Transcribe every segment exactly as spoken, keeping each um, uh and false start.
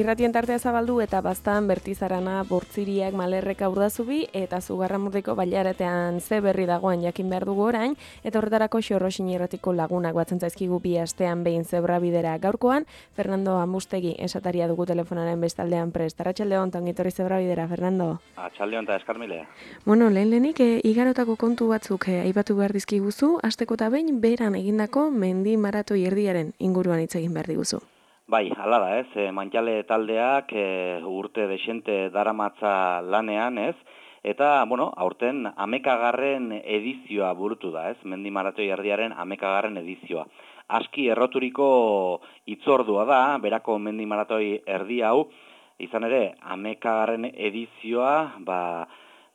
Irratien tartea zabaldu eta baztan Bertizarana, Bortziriak, Malerreka, Urdazubi eta Zugarramurdiko Bailaratean ze berri dagoen jakin behar dugu orain, eta horretarako Xorroxin irratiko lagunak batzen zaizkigu bi astean behin Zebrabidera gaurkoan. Fernando Amustegi esataria dugu telefonaren bestaldean prest. Arratsaldeon, ongitorri Zebrabidera, Fernando. Arratsaldeon eta eskarmilea. Bueno, lehen lehenik e, igarotako kontu batzuk e, aipatu behar dizkiguzu, hasteko eta behin beran egindako mendi maratoi erdiaren inguruan hitz egin behar diguzu. Bai, hala da, ez, e, Mantxale taldeak e, urte desente daramatza lanean, ez, eta, bueno, aurten amekagarren edizioa burutu da, ez, mendi maratoi erdiaren amekagarren edizioa. Aski erroturiko hitzordua da, berako mendi maratoi erdi hau, izan ere, amekagarren edizioa, ba,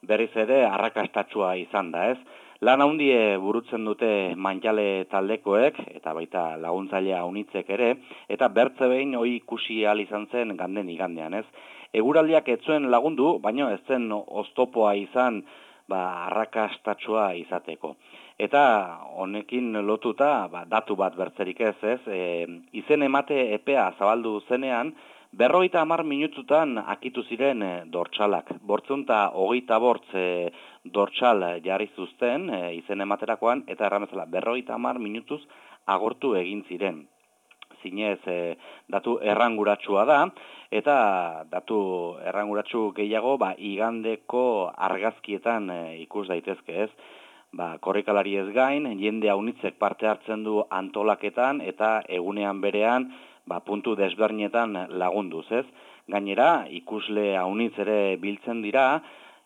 berriz ere arrakastatsua izan da, ez. Lan handie burutzen dute Mantxale taldekoek, eta baita laguntzailea unitzek ere, eta bertze behin hoi ikusi ahal izan zen ganden igandean, ez. Eguraldiak ez zuen lagundu, baina ez zen oztopoa izan ba, arrakastatsua izateko. Eta honekin lotuta ba, datu bat bertzerik ez, ez, e, izen emate epea zabaldu zenean, berrogeita hamar minututan akitu ziren e, dortsalak. Bortzunta hogeita bortz e, dortsal jarri zuzten e, izen ematerakoan, eta erramezala berrogeita hamar minutuz agortu egin ziren. Zinez e, datu erranguratsua da, eta datu erranguratsu gehiago ba, igandeko argazkietan e, ikus daitezke ez. Ba, korrikalari ez gain, jende haunitzek parte hartzen du antolaketan, eta egunean berean, ba, puntu desberdinetan lagunduz, ez? Gainera, ikusle haunitz ere biltzen dira,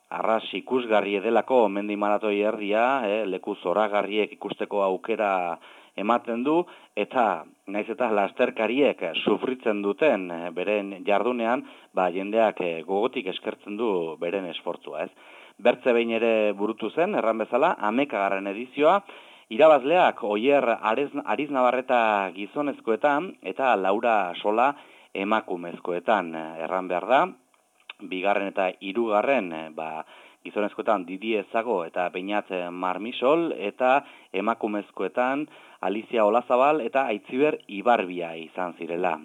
arras ikusgarri edelako mendi maratoi erdia, eh, leku zoragarriek ikusteko aukera ematen du, eta naiz eta lasterkariek sufritzen duten eh, beren jardunean, ba, jendeak eh, gogotik eskertzen du beren esfortzua, ez? Bertze behin ere burutu zen, erran bezala, amekagarren edizioa, irabazleak Oier Ariznabarreta gizonezkoetan eta Laura Sola emakumezkoetan erran behar da. Bigarren eta hirugarren ba, gizonezkoetan Didi Ezago eta Beñat Marmisol eta emakumezkoetan Alicia Olazabal eta Aitziber Ibarbia izan zirela.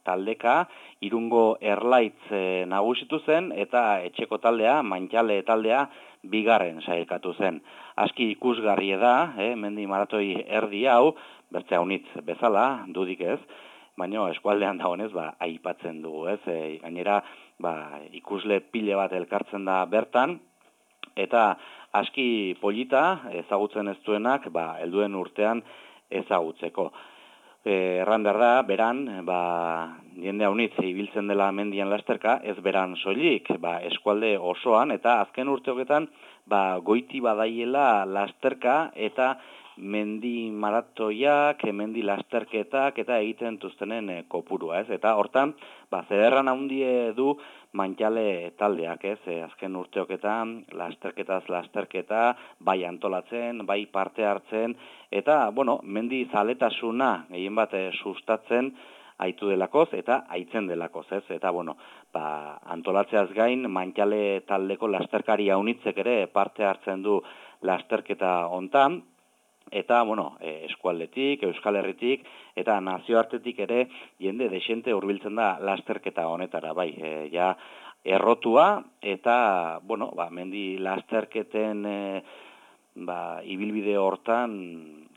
Taldeka Irungo Erlaitz e, nagusitu zen eta etxeko taldea, Mantxale taldea, bigarren sailkatu zen. Aski ikusgarri da, eh, mendi maratoi erdi hau, bertzea unitz bezala, dudik ez, baina eskualdean dagoenez, ba, aipatzen dugu, ez, e, gainera, ba, ikusle pile bat elkartzen da bertan, eta aski polita ezagutzen ez duenak, ba, helduen urtean ezagutzeko. E, erran behar da, beran, ba, jende haunitz ibiltzen dela mendian lasterka, ez beran soilik, ba, eskualde osoan, eta azken urteoketan, ba, goiti badaiela lasterka, eta mendi maratoiak, mendi lasterketak, eta egiten tuztenen e, kopurua, ez? Eta hortan, ba, zederran handie du Mantxale taldeak, ez? E, azken urteoketan, lasterketaz lasterketa, bai antolatzen, bai parte hartzen, eta, bueno, mendi zaletasuna, gehien bat, e, sustatzen, aitu delakoz eta aitzen delakoz, ez? Eta, bueno, ba, antolatzeaz gain, Mantxale taldeko lasterkari haunitzek ere parte hartzen du lasterketa hontan, eta, bueno, e, eskualdetik, Euskal Herritik, eta nazioartetik ere jende desente hurbiltzen da lasterketa honetara, bai, e, ja, errotua, eta, bueno, ba, mendi lasterketen e, ba, ibilbide hortan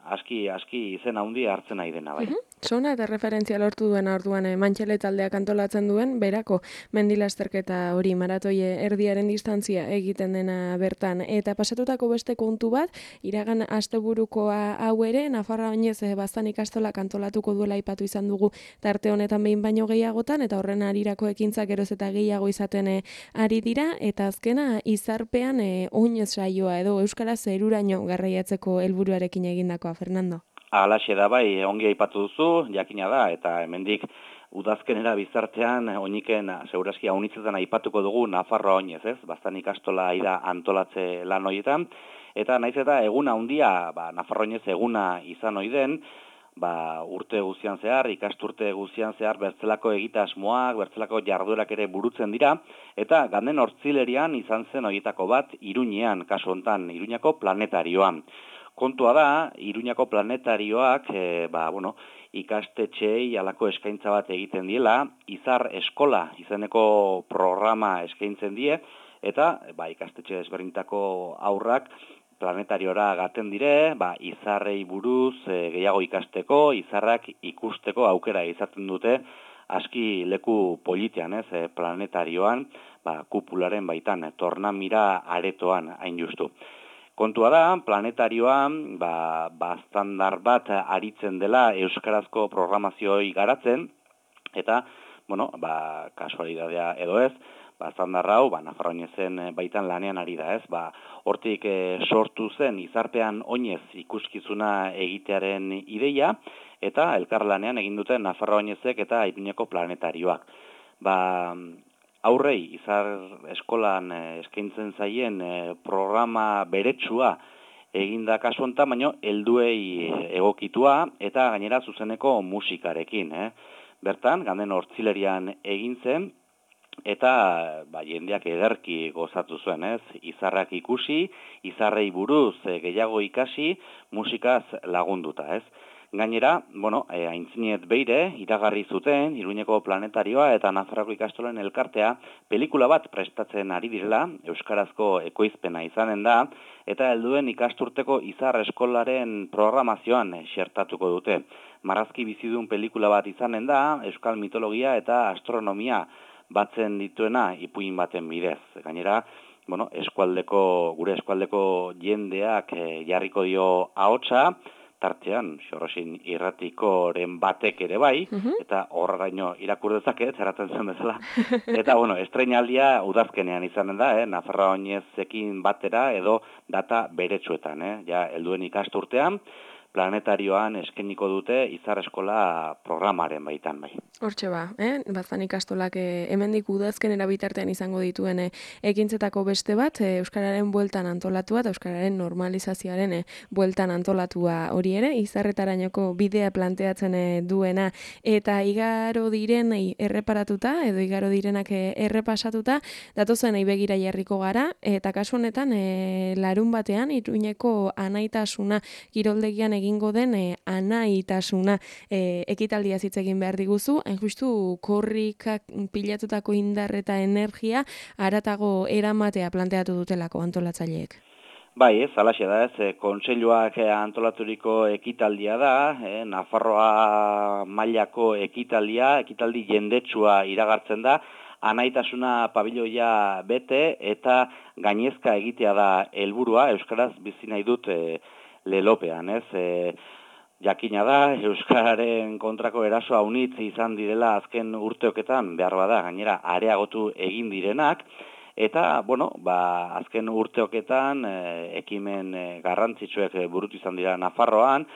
aski, aski izen handi hartzen nahi dena, bai. Sona eta referentzia lortu duen orduan e, Mantxale taldeak antolatzen duen, berako mendilasterketa hori maratoie erdiaren distantzia egiten dena bertan. Eta pasatutako beste kontu bat, iragan asteburukoa hau ere, Nafarroa oinez e, baztan ikastolak antolatuko duela aipatu izan dugu tarte honetan behin baino gehiagotan, eta horren arirako ekintzak geroz eta gehiago izaten e, ari dira, eta azkena izarpean e, oinez saioa edo Euskara zeruraino garraiatzeko helburuarekin egindakoa, Fernando. Alaxe da bai, ongi aipatu duzu, jakina da, eta hemendik udazkenera bizartean, oiniken, segurazki haunitzetan aipatuko dugu Nafarroa oinez, ez? Baztan ikastola aida antolatze lan horietan, eta naiz eta eguna handia, ba, Nafarroa oinez eguna izan oiden, ba, urte guztian zehar, ikasturte guztian zehar, bertzelako egitasmoak, bertzelako jarduerak ere burutzen dira, eta ganden hortzilerian izan zen horietako bat, Iruñean, kasu hontan, Iruñako planetarioan. kontua da, Iruñako planetarioak, e, ba, bueno, ikastetxeei halako eskaintza bat egiten diela, Izar Eskola izeneko programa eskaintzen die, eta ba, ikastetxe ezberdintako aurrak planetariora gaten dire, ba, izarrei buruz e, gehiago ikasteko, izarrak ikusteko aukera izaten dute, aski leku politean, ez, e, planetarioan, ba, kupularen baitan, tornamira aretoan hain justu. Kontua da, planetarioan, ba, ba, standar bat aritzen dela euskarazko programazioi garatzen, eta, bueno, ba, kasualidadea edo ez, ba, standar hau, ba, Nafarroanezen baitan lanean ari da, ez, ba, hortik e, sortu zen izarpean oinez ikuskizuna egitearen ideia, eta elkarlanean egin duten Nafarroanezek eta Iruñeko planetarioak. Ba, aurrei izar eskolan eskaintzen zaien programa beretsua eginda kasu honetan, baino helduei egokitua eta gainera zuzeneko musikarekin. Eh? Bertan, ganden hortzilerian egin zen, eta ba, jendeak ederki gozatu zuen, ez? Izarrak ikusi, izarrei buruz e, gehiago ikasi, musikaz lagunduta, ez? Gainera, bueno, e, aintzinet beire, iragarri zuten, Iruñeko planetarioa eta Nafarroako ikastolen elkartea, pelikula bat prestatzen ari direla, euskarazko ekoizpena izanen da, eta helduen ikasturteko izar eskolaren programazioan xertatuko dute. Marrazki bizidun pelikula bat izanen da, euskal mitologia eta astronomia batzen dituena ipuin baten bidez. Gainera, bueno, eskualdeko, gure eskualdeko jendeak e, jarriko dio ahotsa, tartean, xorrosin irratikoren batek ere bai, Mhm. eta horraino irakur dezaket, zeratzen zen bezala. Eta, bueno, estreinaldia udazkenean izanen da, eh? Nafarroanezekin batera edo data beretsuetan, eh? Ja, helduen ikasturtean, planetarioan eskainiko dute izar eskola programaren baitan bai. Hortxe ba, eh? Bazan ikastolak eh, hemendik udazkenera bitartean izango dituen eh, ekintzetako beste bat, eh, Euskararen bueltan antolatua eta Euskararen normalizazioaren eh, bueltan antolatua hori ere, izarretarainoko bidea planteatzen eh, duena, eta igaro direnei erreparatuta, edo igaro direnak eh, errepasatuta, datozenei begira jarriko gara, eta kasu honetan eh, larun batean, Iruñeko anaitasuna kiroldegian egingo den eh, anaitasuna eh, ekitaldia hitz egin behar diguzu, hain justu korrikak pilatutako indar eta energia haratago eramatea planteatu dutelako antolatzaileek. Bai, ez, alaxe da, ez, kontseiluak antolaturiko ekitaldia da, eh, Nafarroa mailako ekitaldia, ekitaldi jendetsua iragartzen da, anaitasuna pabiloia bete eta gainezka egitea da helburua, euskaraz bizi nahi dut e, lelopean, ez, e, jakina da, euskararen kontrako eraso haunitz izan direla azken urteoketan, behar bada, gainera areagotu egin direnak, eta, bueno, ba, azken urteoketan e, ekimen e, garrantzitsuek burutu izan dira Nafarroan,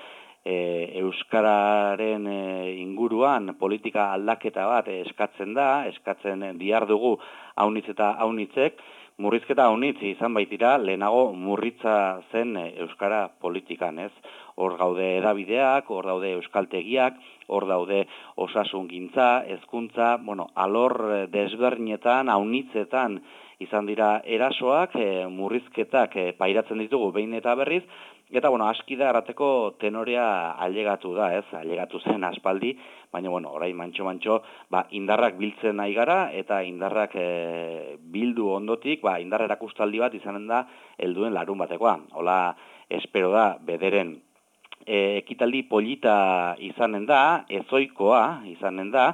e, euskararen e, inguruan politika aldaketa bat eskatzen da, eskatzen dihar dugu haunitz eta haunitzek, murrizketa haunitz izan baitira, lehenago murritza zen euskara politikan, ez? Hor gaude edabideak, hor daude euskaltegiak, hor daude osasungintza, hezkuntza, bueno, alor desberdinetan, haunitzetan izan dira erasoak, e, murrizketak e, pairatzen ditugu behin eta berriz, eta, bueno, aski da errateko tenorea ailegatu da, ez? Ailegatu zen aspaldi, baina, bueno, orain mantxo-mantxo, ba, indarrak biltzen nahi gara, eta indarrak e, bildu ondotik, ba, indar erakustaldi bat izanen da helduen larun batekoa. Hola, espero da, bederen e, ekitaldi polita izanen da, ezoikoa izanen da,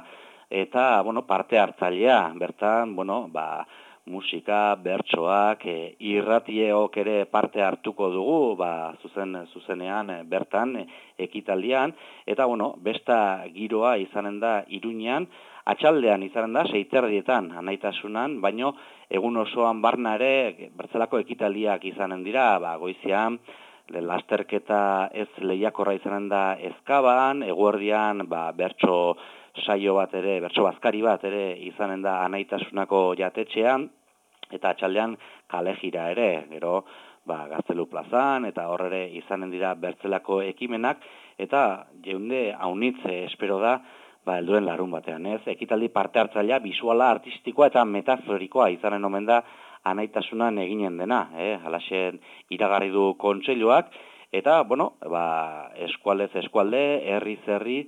eta, bueno, parte hartzailea, bertan, bueno, ba, musika, bertsoak, e, irratieok ere parte hartuko dugu, ba, zuzen, zuzenean e, bertan e, ekitaldian, eta, bueno, besta giroa izanen da Iruñean, atxaldean izanen da, seiterdietan anaitasunan, baino egun osoan barna ere bertzelako ekitaldiak izanen dira, ba, goizian, lasterketa ez lehiakorra izanen da Ezkaban, eguerdian, ba, bertso saio bat ere, bertso bazkari bat ere izanen da anaitasunako jatetxean, eta atxaldean kale jira ere, gero ba, Gaztelu plazan, eta hor ere izanen dira bertzelako ekimenak, eta jeunde haunitze espero da, ba, helduen larun batean, ez? Ekitaldi parte hartzailea, bisuala, artistikoa eta metaforikoa izanen omen da anaitasunan eginen dena, eh? Halaxen iragarri du kontseiluak, Eta, bueno, ba, eskualdez eskualde, herriz herri,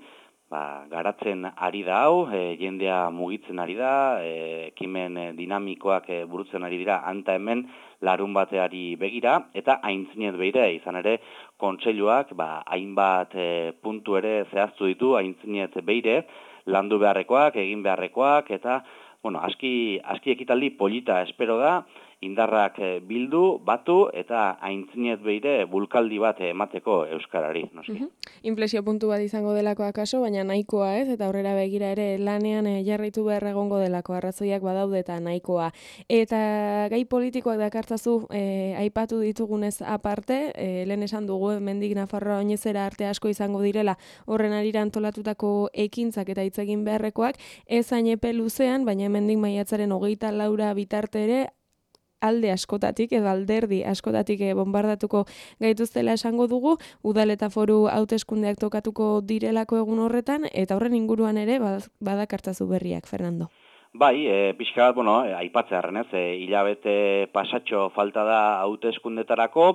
ba, garatzen ari da hau, e, jendea mugitzen ari da, e, ekimen e, dinamikoak e, burutzen ari dira anta hemen larun bateari begira, eta aintzinet beire, izan ere, kontseiluak ba, hainbat e, puntu ere zehaztu ditu, aintzinet beire, landu beharrekoak, egin beharrekoak, eta, bueno, aski, aski ekitaldi polita espero da, indarrak bildu, batu, eta aintzinet beire bulkaldi bat emateko euskarari, noski. Mhm. Inflexio puntu bat izango delako akaso, baina nahikoa ez, eta aurrera begira ere lanean eh, jarraitu behar egongo delako, arrazoiak badaude eta nahikoa. Eta gai politikoak dakartzazu eh, aipatu ditugunez aparte, eh, lehen esan dugu, mendik Nafarroa oinezera arte asko izango direla, horren arira antolatutako ekintzak eta hitz egin beharrekoak, ez hain epe luzean, baina mendik maiatzaren hogeita laura bitarte ere, alde askotatik edo alderdi askotatik bombardatuko gaituztela esango dugu, udal eta foru hauteskundeak tokatuko direlako egun horretan, eta horren inguruan ere badakartzazu berriak, Fernando. Bai, e, pixka bat, bueno, e, aipatzearen ez, e, hilabete pasatxo falta da hauteskundetarako,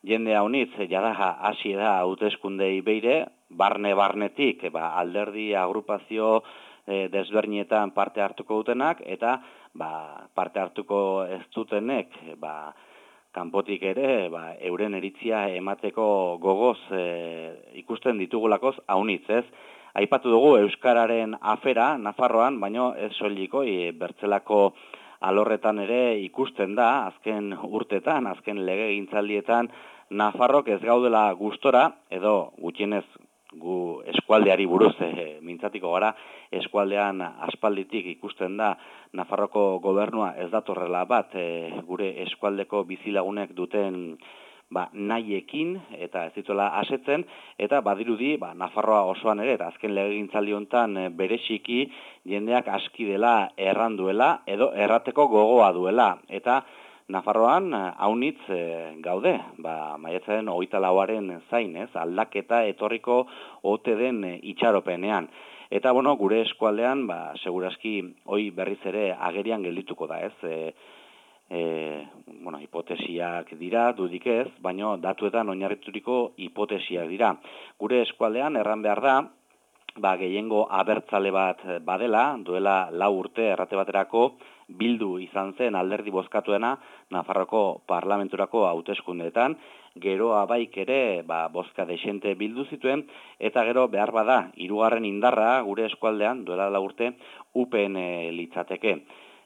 jende haunitz, jada hasi da hauteskundei beire, barne-barnetik, ba, alderdi, agrupazio, e, desbernietan parte hartuko dutenak, eta ba, parte hartuko ez dutenek, ba, kanpotik ere, ba, euren eritzia emateko gogoz e, ikusten ditugulakoz haunitz, ez? Aipatu dugu Euskararen afera Nafarroan, baino ez soiliko e, bertzelako alorretan ere ikusten da, azken urtetan, azken legegintzaldietan, Nafarrok ez gaudela gustora, edo gutxienez gu eskualdeari buruz e, mintzatiko gara, eskualdean aspalditik ikusten da Nafarroko gobernua ez datorrela bat e, gure eskualdeko bizilagunek duten ba, nahiekin eta ez dituela asetzen, eta badirudi ba, Nafarroa osoan ere, eta azken legegintzaldi hontan e, bereziki jendeak aski dela erranduela edo errateko gogoa duela, eta Nafarroan haunitz e, gaude, ba, maiatzaren hogeita lauaren zain, ez, aldaketa etorriko ote den e, itxaropenean. Eta, bueno, gure eskualdean, ba, segurazki, hoi berriz ere agerian geldituko da, ez, e, e, bueno, hipotesiak dira, dudik ez, baino datuetan oinarrituriko hipotesiak dira. Gure eskualdean, erran behar da, ba, gehiengo abertzale bat badela, duela lau urte errate baterako, bildu izan zen alderdi bozkatuena Nafarroko parlamenturako hauteskundeetan, gero abaik ere ba, bozka desente bildu zituen, eta gero behar bada, hirugarren indarra gure eskualdean, duela lau urte, U P N litzateke.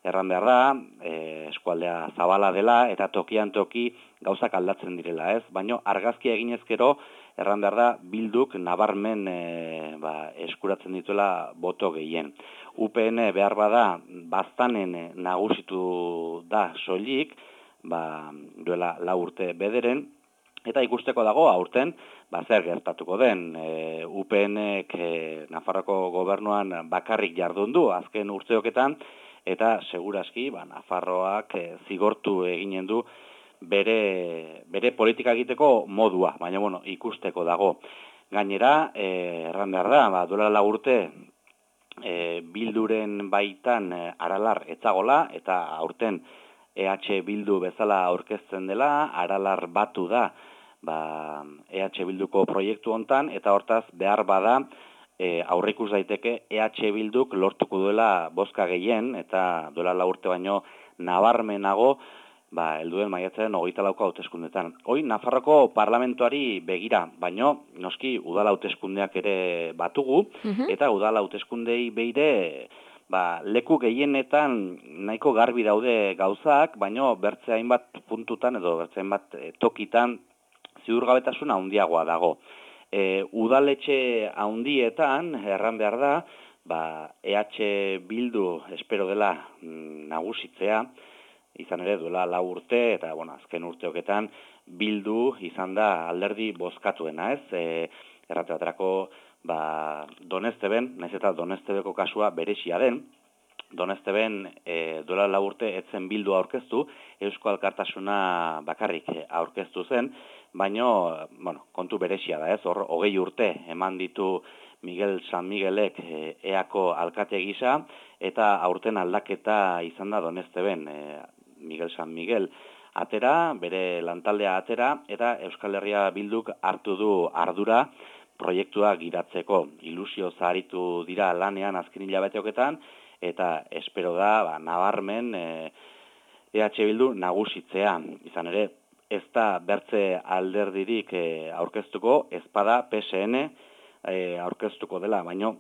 Erran behar da, e, eskualdea zabala dela, eta tokian toki gauzak aldatzen direla, ez? Baino argazki eginezkero, erran behar da, bilduk nabarmen e, ba, eskuratzen dituela boto gehien. U P N behar bada, baztanen nagusitu da soilik, ba, duela lau urte bederen, eta ikusteko dago aurten, ba, zer gertatuko den. E, U PNek e, Nafarroko gobernuan bakarrik jardun du, azken urteoketan, eta segurazki, ba, Nafarroak e, zigortu eginen du bere, bere politika egiteko modua, baina bueno, ikusteko dago. Gainera, e, erran behar da, ba, duela lau urte, e, bilduren baitan e, aralar etzagola, eta aurten E H Bildu bezala aurkezten dela, aralar batu da ba, E H Bilduko proiektu hontan, eta hortaz behar bada e, aurreikus daiteke E H Bilduk lortuko duela bozka gehien, eta duela lau urte baino nabarmenago, ba, helduen maiatzaren hogeita lauko hauteskundetan. Hoi, Nafarroko parlamentuari begira, baino, noski, udal hauteskundeak ere batugu, Mhm. eta udal hauteskundei beire, ba, leku gehienetan nahiko garbi daude gauzak, baino bertze hainbat puntutan edo bertze hainbat e, tokitan ziurgabetasuna handiagoa dago. E, udaletxe handietan, erran behar da, ba, E H Bildu espero dela mm, nagusitzea, izan ere duela lau urte, eta bueno, azken urteoketan bildu izan da alderdi bozkatuena, ez? E, errate baterako, ba, Donesteben, naiz eta Donestebeko kasua berezia den, Donesteben e, duela lau urte etzen bildu aurkeztu, Eusko Alkartasuna bakarrik aurkeztu zen, baino, bueno, kontu berezia da, ez? Hor, hogei urte eman ditu Miguel San Miguelek e, eako alkate gisa, eta aurten aldaketa izan da Donesteben, e, Miguel San Miguel atera, bere lantaldea atera, eta Euskal Herria Bilduk hartu du ardura proiektua giratzeko. Ilusio zaharitu dira lanean azken hilabeteoketan, eta espero da, ba, nabarmen e, EH Bildu nagusitzea. Izan ere, ez da bertze alderdirik e, aurkeztuko, ezpada P S N e, aurkeztuko dela, baino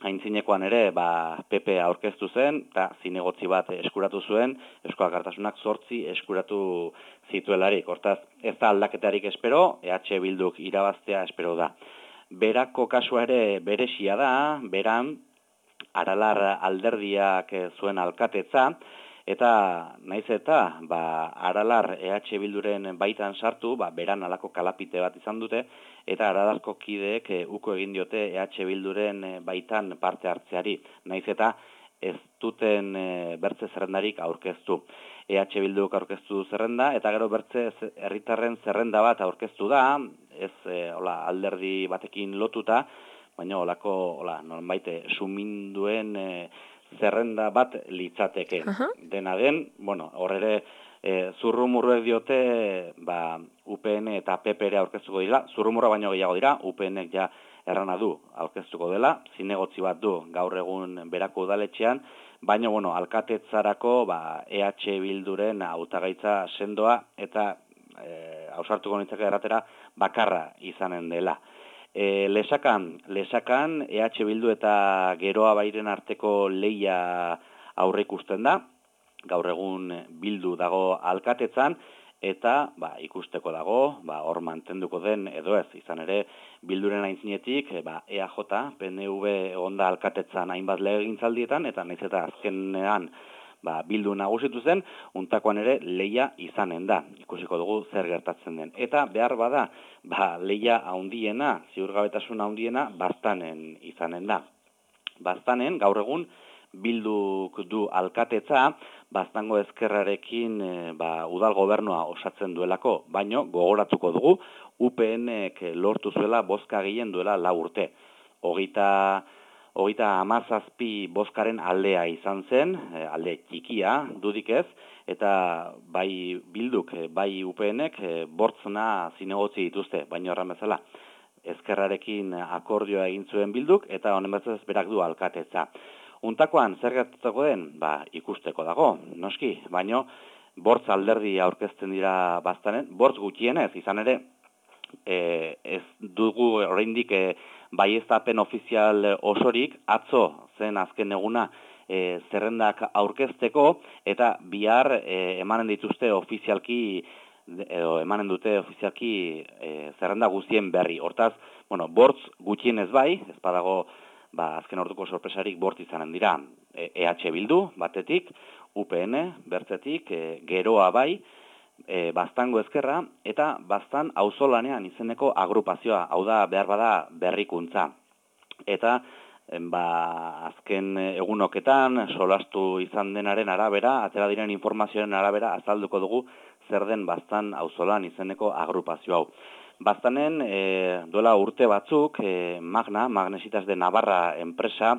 aintzinekoan ere ba, P P aurkeztu zen, eta zinegotzi bat eskuratu zuen, Eusko Alkartasunak zortzi eskuratu zituelarik. Hortaz, ez da aldaketarik espero, E H Bilduk irabaztea espero da. Berako kasua ere beresia da, beran, Aralar alderdiak zuen alkatetza, eta naiz eta ba, Aralar E H Bilduren baitan sartu, ba, beran alako kalapite bat izan dute, eta Aralarko kideek e, uko egin diote E H Bilduren baitan parte hartzeari. Naiz eta ez duten e, bertze zerrendarik aurkeztu. E H Bilduk aurkeztu du zerrenda, eta gero bertze herritarren zerrenda bat aurkeztu da, ez e, hola, alderdi batekin lotuta, baina olako, hola, nonbait suminduen e, zerrenda bat litzateke. Aha. Dena den, bueno, horre e, zurrumurruek diote, ba, U P N eta P P ere aurkeztuko dira, zurrumurra baino gehiago dira, U P Nek ja errana du aurkeztuko dela, zinegotzi bat du gaur egun berako udaletxean, baina, bueno, alkatetzarako, ba, E H Bilduren hautagaitza sendoa eta e, ausartuko nintzake erratera bakarra izanen dela. E, lesakan, lesakan E H Bildu eta Geroa Bairen arteko leia aurre ikusten da, gaur egun Bildu dago alkatetzan, eta ba, ikusteko dago, ba, hor mantenduko den edo ez, izan ere Bilduren aintzinetik, ba, E A J, P N V onda alkatetzan hainbat legegintzaldietan, eta naiz eta azkenean ba, Bildu nagusitu zen, untakoan ere leia izanen da. Ikusiko dugu zer gertatzen den. Eta behar bada, ba, leia handiena, ziurgabetasun handiena, Baztanen izanen da. Baztanen, gaur egun, Bilduk du alkatetza, Baztango ezkerrarekin e, ba, udal gobernua osatzen duelako, baino gogoratuko dugu, U P Nek lortu zuela bozka gehien duela lau urte. Hogeita... Hogeita hamazazpi bozkaren aldea izan zen, alde txikia dudik ez, eta bai Bilduk, bai U P Nek bortzna zinegotzi dituzte, baina horren bezala. Ezkerrarekin akordioa egin zuen Bilduk, eta honen bezala berak du alkatetza. Untakoan, zer gertatuko den? Ba, ikusteko dago, noski, baino bortz alderdi aurkezten dira Baztanen, bortz gutxienez, izan ere, e, ez dugu oraindik e, baieztapen ofizial osorik, atzo zen azken eguna e, zerrendak aurkezteko, eta bihar e, emanen dituzte ofizialki, edo emanen dute ofizialki e, zerrenda guztien berri. Hortaz, bueno, bortz gutxienez bai, ez badago ba, azken orduko sorpresarik bort izanen dira E H Bildu batetik, U P N bertzetik, e, Geroa bai, E, Baztango ezkerra, eta Baztan auzolanean izeneko agrupazioa, hau da behar bada berrikuntza. Eta ba, azken egunoketan, solastu izan denaren arabera, atera diren informazioaren arabera, azalduko dugu zer den Baztan auzolan izeneko agrupazio hau. Baztanen e, duela urte batzuk, e, Magna, Magnesitas de Navarra enpresa,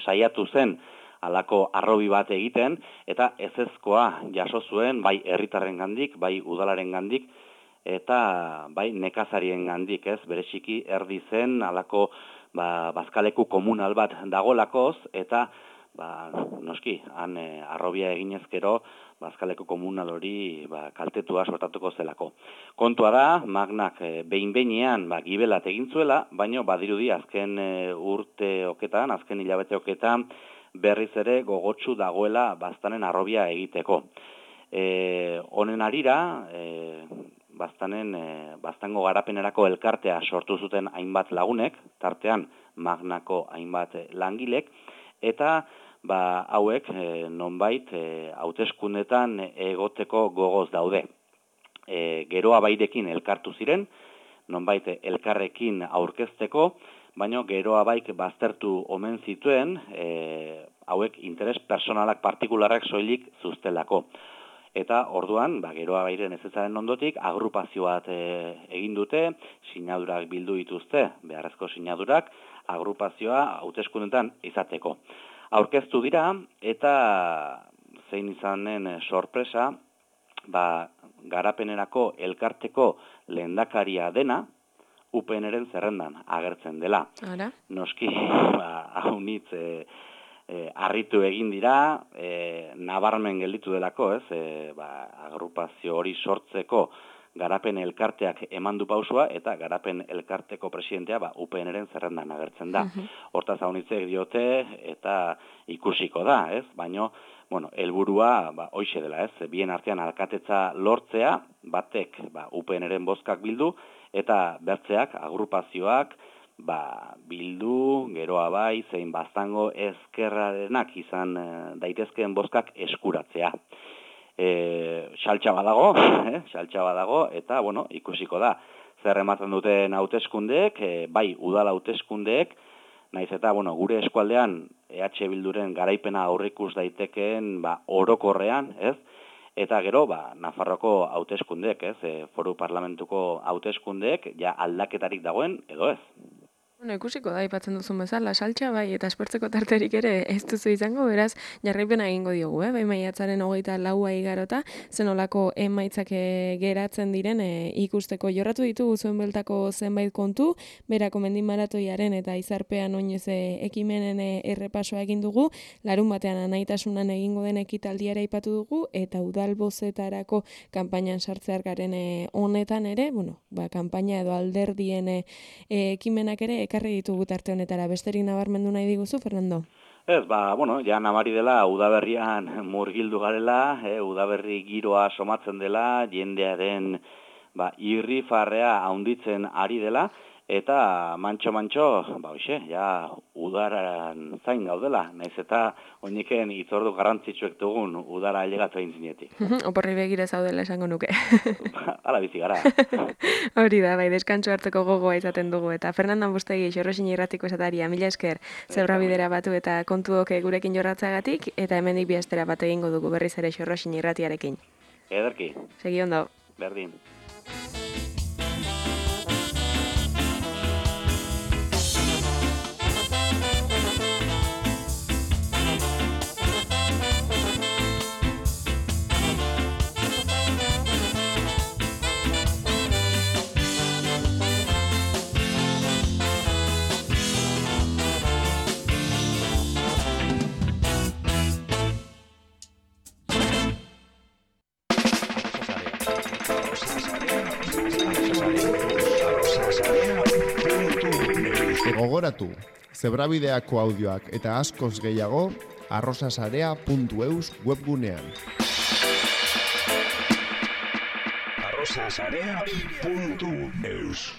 saiatu zen alako arrobi bat egiten, eta ezezkoa jaso zuen, bai herritarrengandik, bai udalarengandik, eta bai nekazarien gandik, ez, bereziki erdi zen, alako ba, bazkaleku komunal bat dagolakoz, eta ba, noski, han e, arrobia eginezkero, bazkaleku komunal hori ba, kaltetua sortatuko zelako. Kontua da, Magnak e, behin-behinean ba, gibelat egin zuela, baino badirudi azken e, urte oketan, azken hilabete oketan, berriz ere gogotsu dagoela Baztanen arrobia egiteko. E, honen arira, e, Baztanen, e, Baztango garapenerako elkartea sortu zuten hainbat lagunek, tartean Magnako hainbat langilek, eta ba, hauek e, nonbait e, hauteskundetan egoteko gogoz daude. E, Geroa Bairekin elkartu ziren, nonbait elkarrekin aurkezteko, baina Geroa Baik baztertu omen zituen, e, hauek interes personalak partikularrak soilik zuztelako. Eta orduan, ba, Geroa Bairen ezetzaren ondotik, agrupazio bat e, egin dute, sinadurak bildu dituzte, beharrezko sinadurak, agrupazioa hauteskundetan izateko. Aurkeztu dira, eta zein izanen sorpresa, ba, garapenerako elkarteko lehendakaria dena, U P N-ren zerrendan agertzen dela. Ara? Noski, ba, haunitz, e, e, harritu egin dira, e, nabarmen gelditu delako, ez, e, ba, agrupazio hori sortzeko garapen elkarteak eman du pausua, eta garapen elkarteko presidentea ba, U P N-ren zerrendan agertzen da. Uh-huh. Hortaz haunitzek diote, eta ikusiko da, ez, baino, bueno, helburua ba, hoixe dela, ez, bien artean alkatetza lortzea, batek ba, U P N-ren bozkak bildu, eta bertzeak, agrupazioak, ba, bildu, geroa bai, zein baztango ezkerrarenak izan e, daitezkeen bozkak eskuratzea. E, saltxa badago, eh, saltxa badago, eta, bueno, ikusiko da. Zer ematen duten hauteskundeek, e, bai, udal hauteskundeek, naiz eta, bueno, gure eskualdean E H Bilduren garaipena aurrikus daitekeen, ba, orokorrean, ez? Eta gero, ba, Nafarroko hauteskundeek, ez? E, foru parlamentuko hauteskundeek, ja aldaketarik dagoen, edo ez? Bueno, ikusiko da, ipatzen duzun bezala, saltxa bai, eta espertzeko tarterik ere ez duzu izango, beraz, jarraipena egingo diogu, eh? Bai maiatzaren hogeita laua igarota, zenolako emaitzak geratzen diren e, ikusteko jorratu ditugu zuen beltako zenbait kontu, berako mendimaratoiaren eta izarpean oinez ekimenen errepasoa egin dugu, larun batean anaitasunan egingo den ekitaldiara ipatu dugu, eta udalbozetarako kanpainan sartzear garen e, honetan ere, bueno, ba, kanpaina edo alderdien e, ekimenak ere ekarri ditugu tarte honetara. Besterik nabarmendu nahi diguzu, Fernando? Ez, ba, bueno, ja nabari dela udaberrian murgildu garela, eh, udaberri giroa somatzen dela, jendearen ba, irrifarrea haunditzen ari dela, eta mantxo-mantxo, ba, hoxe, ja udaran zain gaudela, naiz eta oiniken itzordu garrantzitsuek dugun udara ailegatza egin zinetik. Oporri begira zaudela esango nuke. Hala bizi gara. Hori da, bai, deskantsu hartzeko gogoa izaten dugu, eta Fernando Bustegi, Xorroxin irratiko esataria, mila esker, zebra bidera batu eta kontuok gurekin jorratzagatik, eta hemendik bi astera bat egingo dugu berriz ere Xorroxin irratiarekin. Ederki. Segi ondo. Berdin. Gogoratu, zebrabideako audioak eta askoz gehiago arrosasarea puntu eus webgunean. arrosasarea puntu eus